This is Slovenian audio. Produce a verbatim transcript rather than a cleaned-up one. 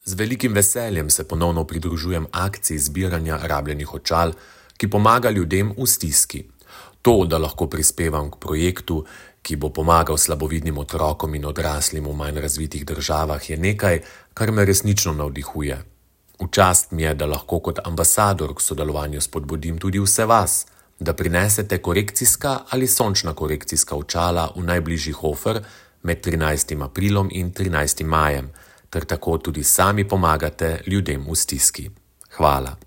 Z velikim veseljem se ponovno pridružujem akciji zbiranja rabljenih očal, ki pomaga ljudem v stiski. To, da lahko prispevam k projektu, ki bo pomagal slabovidnim otrokom in odraslim v manj razvitih državah, je nekaj, kar me resnično navdihuje. V čast mi je, da lahko kot ambasador k sodelovanju spodbudim tudi vse vas, da prinesete korekcijska ali sončna korekcijska očala v najbližji Hofer med trinajstim aprilom in trinajstim majem, ter tako tudi sami pomagate ljudem v stiski. Hvala.